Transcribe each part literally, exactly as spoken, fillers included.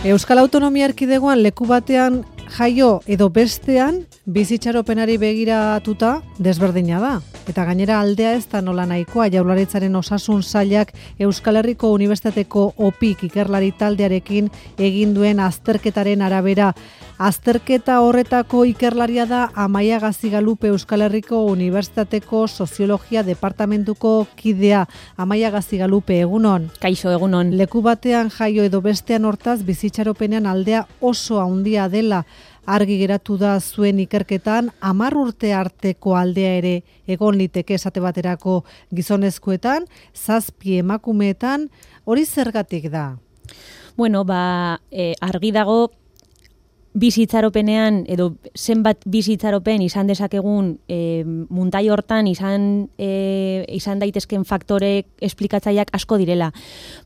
Euskal Autonomia Erkidegoan leku batean jaio edo bestean bizitxaropenari begiratuta desberdina da. Eta gainera aldea ez da nola nahikoa. Jaurlaritzaren osasun sailak Euskal Herriko Unibertsitateko OPIK ikerlari taldearekin egin duen azterketaren arabera. Azterketa horretako ikerlaria da Amaia Gazigalupe, Euskal Herriko Unibertsitateko Soziologia Departamentuko kidea. Amaia Gazigalupe, egunon. Kaixo, egunon. Leku batean jaio edo bestean hortaz bizitxaropenean aldea oso handia dela. Argi geratu da zuen ikerketan, hamar urte arteko aldea ere egon liteke esate baterako gizonezkoetan, zazpi emakumeetan, hori zergatik da? Bueno, ba, e, argi dago bizitzaropenean edo zenbat bizitzaropen izan dezakegun e, muntai hortan izan e, izan daitezken faktore esplikatzaileak asko direla.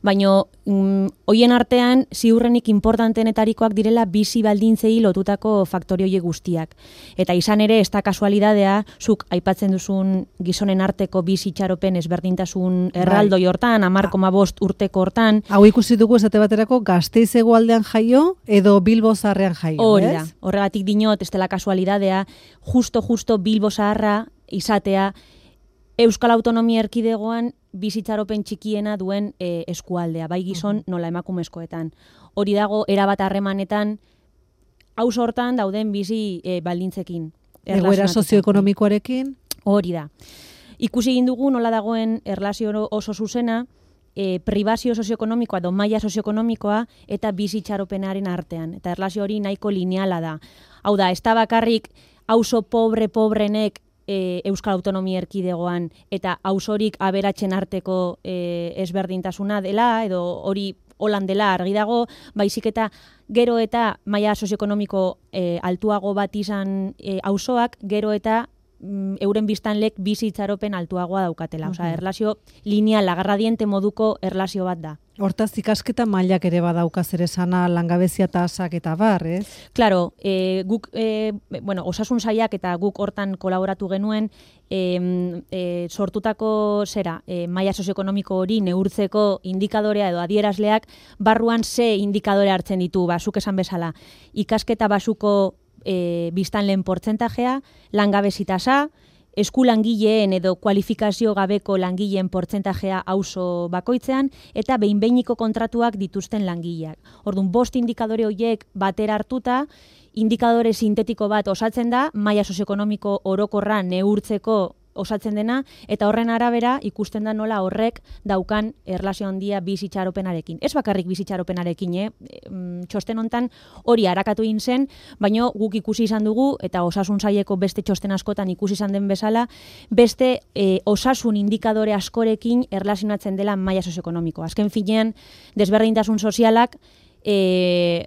Baina mm, hoien artean ziurrenik importantenetarikoak direla bizi baldintzei lotutako faktore horiek guztiak. Eta izan ere ez da kasualidadea, zuk aipatzen duzun gizonen arteko bizitzaropen ezberdintasun erraldoi hortan, hamar koma bost urteko hortan. Hau ikusi dugu esate baterako Gasteiz hegoaldean jaio edo Bilbo zaharrean jaio. Hori da, horregatik dinot, ez dela kasualidadea, justo-justo Bilbo zaharra izatea Euskal Autonomia Erkidegoan bizitzaropen txikiena duen e, eskualdea, bai gizon nola emakumezkoetan. Hori dago, erabat harremanetan, auzo hortan dauden bizi e, baldintzekin. Egoera sozioekonomikoarekin? Hori da. Ikusi egin dugu nola dagoen erlazio oso zuzena, E, pribazio sozioekonomikoa edo maila sozioekonomikoa eta bizitxaropenaren artean. Eta erlazio hori nahiko lineala da. Hau da, ez da bakarrik auzo pobre-pobrenek e, Euskal Autonomia Erkidegoan eta auzorik aberatzen arteko e, ezberdintasuna dela edo hori holan dela argi dago, baizik eta gero eta maila sozioekonomiko e, altuago bat izan e, auzoak, gero eta euren biztanlek bizitzaropen altuagoa daukatela. Uh-huh. Osea, erlazio lineala, gradiente moduko erlazio bat da. Hortaz, ikasketa mailak ere badauka zer esana, langabezia tasak eta bar, ez? Claro, e, guk, e, bueno, osasun sailak eta guk hortan kolaboratu genuen, e, e, sortutako zera, e, maila sozioekonomiko hori neurtzeko indikadorea edo adierazleak, barruan ze indikadore hartzen ditu, basuk esan bezala. Ikasketa basuko E, biztanleen portzentajea, langabezi tasa, eskulangileen edo kualifikazio gabeko langileen portzentajea auzo bakoitzean, eta behin-behiniko kontratuak dituzten langileak. Orduan, bost indikadore horiek batera hartuta, indikadore sintetiko bat osatzen da, maila sozioekonomiko orokorra neurtzeko osatzen dena, eta horren arabera ikusten da nola horrek daukan erlazio handia bizitxaropenarekin. Ez bakarrik bizitxaropenarekin, eh? Txosten hontan hori arakatu egin zen, baina guk ikusi izan dugu, eta osasun saileko beste txosten askotan ikusi izan den bezala, beste e, osasun indikadore askorekin erlazionatzen dela maila sozioekonomiko. Azken finean, desberdintasun sozialak E,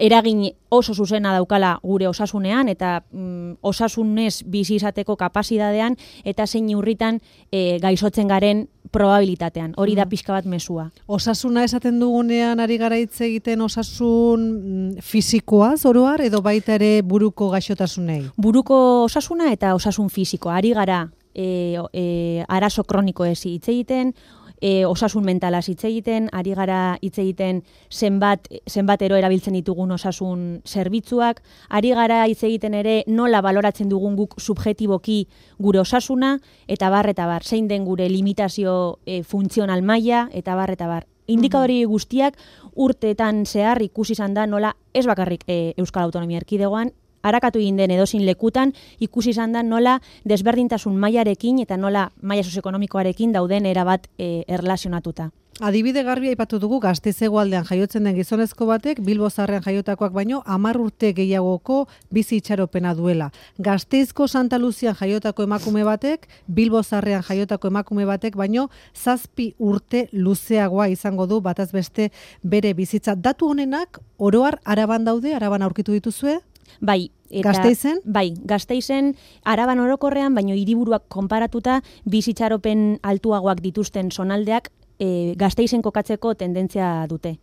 eragin oso zuzena daukala gure osasunean eta mm, osasunez bizi izateko kapasitatean eta zein urritan e, gaizotzen garen probabilitatean. Hori da pixka bat mezua. Osasuna esaten dugunean ari gara hitz egiten osasun mm, fisikoaz oroar edo baita ere buruko gaixotasunei? Buruko osasuna eta osasun fisikoa. Ari gara e, e, arazo kronikoez hitz egiten, E, osasun mentalaz hitz egiten, ari gara hitz egiten zenbat, zenbatero erabiltzen ditugun osasun zerbitzuak, ari gara hitz egiten ere nola baloratzen dugun guk subjektiboki gure osasuna, eta bar, eta bar, zein den gure limitazio e, funtzional maila, eta bar, eta bar. Indikadori guztiak urteetan zehar ikusi izan da nola ez bakarrik e, Euskal Autonomia Erkidegoan, arakatu egin den edozin lekutan, ikusi izan da nola desberdintasun mailarekin eta nola maila sozioekonomikoarekin dauden erabat e, erlazionatuta. Adibide garbi aipatu dugu Gasteiz hegoaldean jaiotzen den gizonezko batek Bilbo zaharrean jaiotakoak baino hamar urte gehiagoko bizi itxaropena duela. Gasteizko Santa Luzian jaiotako emakume batek Bilbo zaharrean jaiotako emakume batek baino zazpi urte luzeagoa izango du bataz beste bere bizitza. Datu honenak oroar Araban daude, Araban aurkitu dituzue? Bai, eta, Gasteizen? Bai, Gasteizen Araban orokorrean, baino hiriburuak konparatuta bizitxaropen altuagoak dituzten zonaldeak e, Gasteizen kokatzeko tendentzia dute.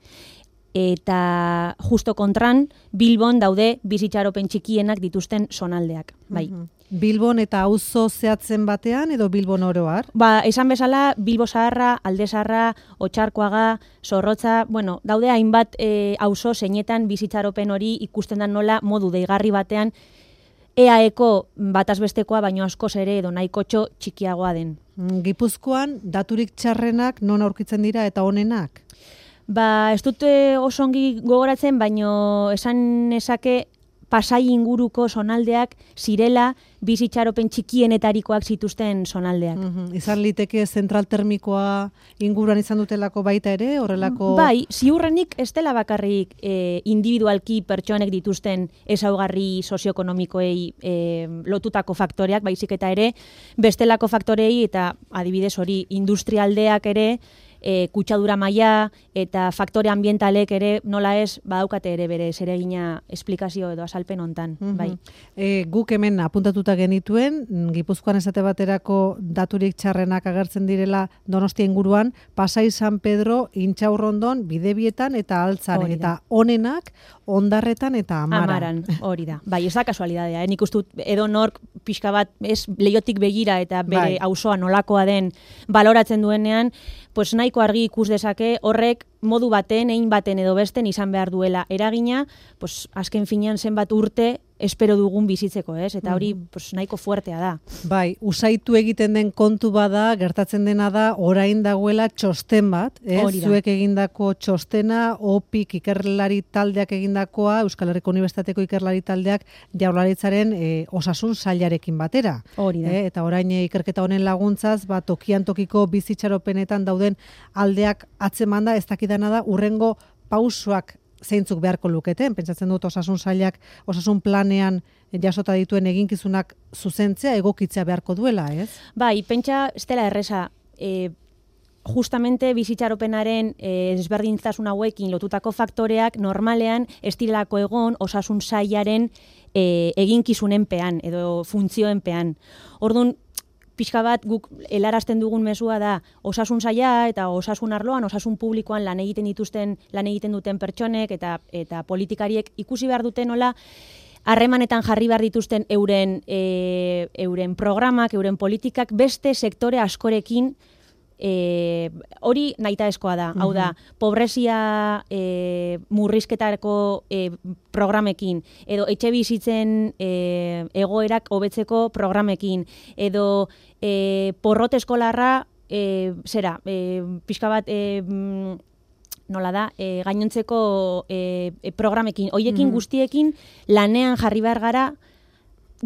eta justo kontran Bilbon daude bizitxaropen txikienak dituzten zonaldeak. Bai. Mhm. Bilbon eta auzo zehatzen batean edo Bilbon oroar? Ba, esan bezala, Bilbo Zaharra, Alde Zaharra, Otxarkoaga, Zorrotza, bueno, daude hainbat e, auzo zeinetan bizitxaropen hori ikusten da nola modu deigarri batean E A Eko batazbestekoa baino askoz ere edo nahikotxo txikiagoa den. Gipuzkoan daturik txarrenak non aurkitzen dira eta onenak? Ba, ez dute oso ongi gogoratzen, baino esan nezake Pasai inguruko zonaldeak zirela bizitxaropen txikienetarikoak zituzten zonaldeak. Mm-hmm. Izan liteke zentral termikoa inguruan izan dutelako baita ere, horrelako... Bai, ziurrenik ez dela bakarrik e, individualki pertsonek dituzten ezaugarri sozioekonomikoei e, lotutako faktoreak, baizik eta ere, bestelako faktorei eta adibidez hori industrialdeak ere, E, kutsadura maila eta faktore ambientalek ere nola ez badaukate ere bere zeregina esplikazio edo azalpen hontan. Mm-hmm. Bai. E, guk hemen apuntatuta genituen, Gipuzkoan esate baterako daturik txarrenak agertzen direla Donostia inguruan, Pasai San Pedro, Intxaurrondon, Bidebietan eta Altzan, eta onenak Ondarretan eta Amaran. Amaran, hori da. Bai, ez da kasualidadea, eh? Nik ustut edo nork pixka bat ez leiotik begira eta bere auzoa nolakoa den baloratzen duenean, pues nahiko argi ikus dezake horrek modu baten, egin baten edo besten izan behar duela eragina, pues azken finean zenbat urte espero dugun bizitzeko, ez? Eta hori pues, nahiko fuertea da. Bai, usaitu egiten den kontu bada, gertatzen dena da, orain dagoela txosten bat, ez? Zuek egindako txostena, opik ikerlari taldeak egindakoa, Euskal Herriko Unibertsitateko ikerlari taldeak Jaurlaritzaren e, osasun sailarekin batera. Hori da. E, eta orain e, ikerketa honen laguntzaz, ba, tokian tokiko bizitxaropenetan dauden aldeak atzemanda, ez dakidana da, urrengo pausoak zeintzuk beharko luketen, pentsatzen dut osasun sailak, osasun planean jasota dituen eginkizunak zuzentzea, egokitzea beharko duela, ez? Bai, pentsa, ez dela erresa, e, justamente bizitxaropenaren e, desberdintasun hauekin lotutako faktoreak normalean ez direlako egon osasun sailaren e, eginkizunenpean edo funtzioenpean. Orduan, pixka bat guk helarazten dugun mezua da osasun saila eta osasun arloan, osasun publikoan lan egiten dituzten, lan egiten duten pertsonek eta eta politikariek ikusi behar duten nola harremanetan jarri behar dituzten euren e, euren programak, euren politikak beste sektore askorekin E, hori nahitaezkoa da, hau da, pobrezia e, murrizketarako e, programekin, edo etxe bizitzen e, egoerak hobetzeko programekin, edo e, porrot eskolarra, e, zera, e, pixka bat, e, nola da, e, gainontzeko e, e, programekin, hoiekin guztiekin lanean jarri behar gara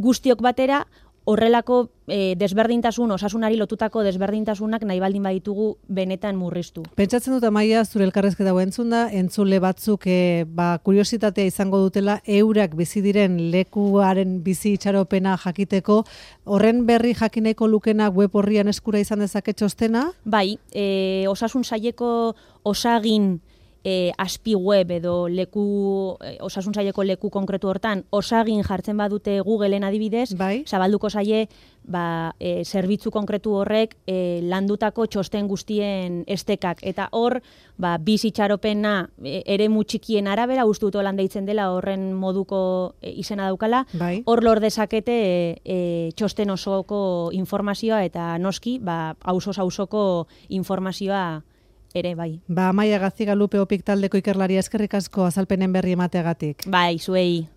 guztiok batera, horrelako e, desberdintasun, osasunari lotutako desberdintasunak nahi baldin baditugu benetan murriztu. Pentsatzen dut Amaia, zure elkarrezketa hau entzun da, entzule batzuk e, ba, kuriositatea izango dutela eurak bizi diren lekuaren bizi itxaropena jakiteko, horren berri jakineko lukena web horrian eskura izan dezake txostena? Bai, e, osasun saileko osagin E, aspi web edo leku, e, osasun saileko leku konkretu hortan, osagin jartzen badute Googleen adibidez, bai. Zabalduko zaie, ba, e, zerbitzu konkretu horrek e, landutako txosten guztien estekak. Eta hor, ba, bizitxaropena e, eremu txikien arabera, uste dut holan deitzen dela horren moduko e, izena daukala, bai. Hor lor dezakete e, e, txosten osoko informazioa eta noski, ba, auzoz auzoko informazioa ere, bai. Ba, Amaia Gazigalupe Opik taldeko ikerlaria eskerrik asko azalpenen berri emateagatik. Bai, zuei.